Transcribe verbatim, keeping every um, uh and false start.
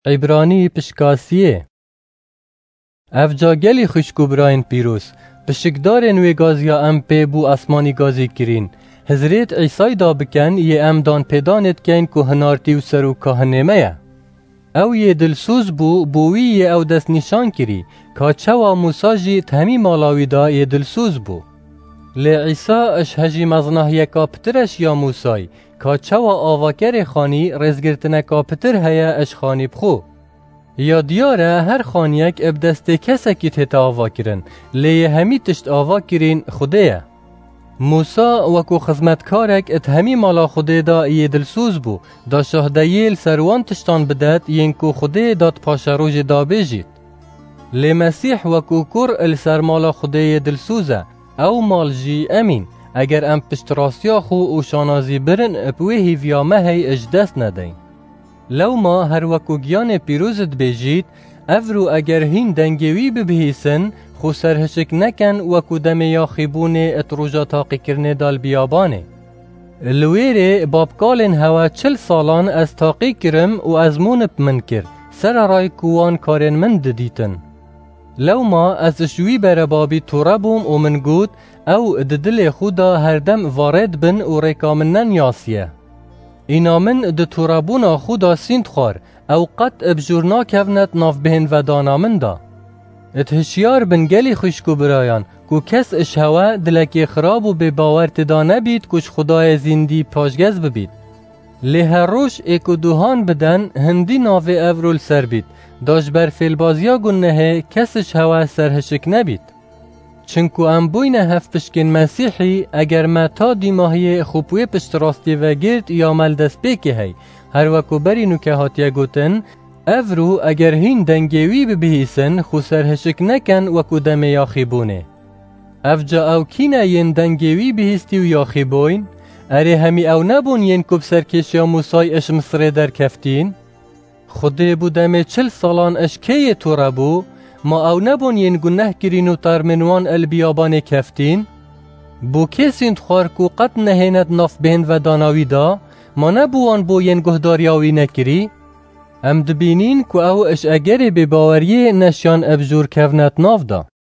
Îbranî pişkasiyê. Evca gelî xwişk û birayên pîroz, pişikdarên wê gaziya em pê bû esmanî gazî kirîn. Hizrêt Îsay da biken yê em dan pêdanê dikeyn ku hinartî û serokkahinê me ye. Ew yê dilsoz bû, bo wî yê ew dest nîşan kirî, ka çawa Mûsa jî di hemî mala wî da yê dilsoz bû. Lê Îsa ji hejî mezinahiyeka pitir eşiya Mûsay, ka çawa avakerê xanî rêzgirtineka pitir heye ji xanî bi xwe. Ya diyar e, her xaniyek bi destê kesekî tête avakirin, lê yê hemî tişt ava kirîn Xwedê ye. Mûsa wekû xizmetkarek di hemî mala Xwedê de yê dilsoz bû, da şahdeyê li ser wan tiştan bidet yên ku Xwedê da di paşerojê da bêjît. Lê Mesîh wekû kur li ser mala Xwedê yê dilsoz e, ew mal jî em în, eger em piştrastiya xwe û şanazî birin bi wê hîviya me hey ji dest nedeyn. Lewma her wekû giyanê pîroz dibêjît, evro eger hîn dengê wî bibihîsin, xwe serhişik neken wekû demê yaxîbûnê di roja taqîkirinê de li biyabanê. Li wêrê babkalên hewe çil salan ez taqî kirim û ezmûn bi min kir, sereray ku wan karên min didîtin. Lewma ez ji wî berebabî tûre bûm û min got, ew di dilê xwe de herdem varê dibin û rêka min neniyasiye. Îna min di tûrebûna xwe de sînd xwar, ew qet bi jûr nakevne di nav bêhnvedana min de. Di hişyar bin gelî xwişk û birayan, ku kes ji hewe dilekê xirab û bêbawer tê de nebît ku ji Xwedayê zîndî paşgez bibît. Lê her roj ê ku duhan biden, hindî navê evro li ser bît, da ji ber fêlbaziya gunehê kes ji hewe serhişik nebît. Çinku em bûyne hevpişkên Mesîhî, eger me ta dîmahiyê xwe bi wê piştrastiyê vegirt ya me li destpêkê hey, her wekû berî nûke hatiye gotin, evro eger hîn dengê wî bibihîsin, xwe serhişik neken wekû demê yaxîbûnê. Evca ew kî ne yên dengê wî bihîstî û yaxîbûyn? Erê, hemî ew nebûn yên ku bi serkêşiya Mûsay ji Misirê derkeftîn? Xwedê bû demê çil salan ji kê yê tûre bû? Ma ew nebûn yên guneh kirîn û termên wan li biyabanê keftîn? Bo kê sînd xwar ku qet nehêne di nav bêhnvedana wî de? Ma ne bo wan bû yên guhdariya wî nekirî? Em dibînîn ku ew ji egerê bêbaweriyê neşiyan bi jûr kevne di nav de.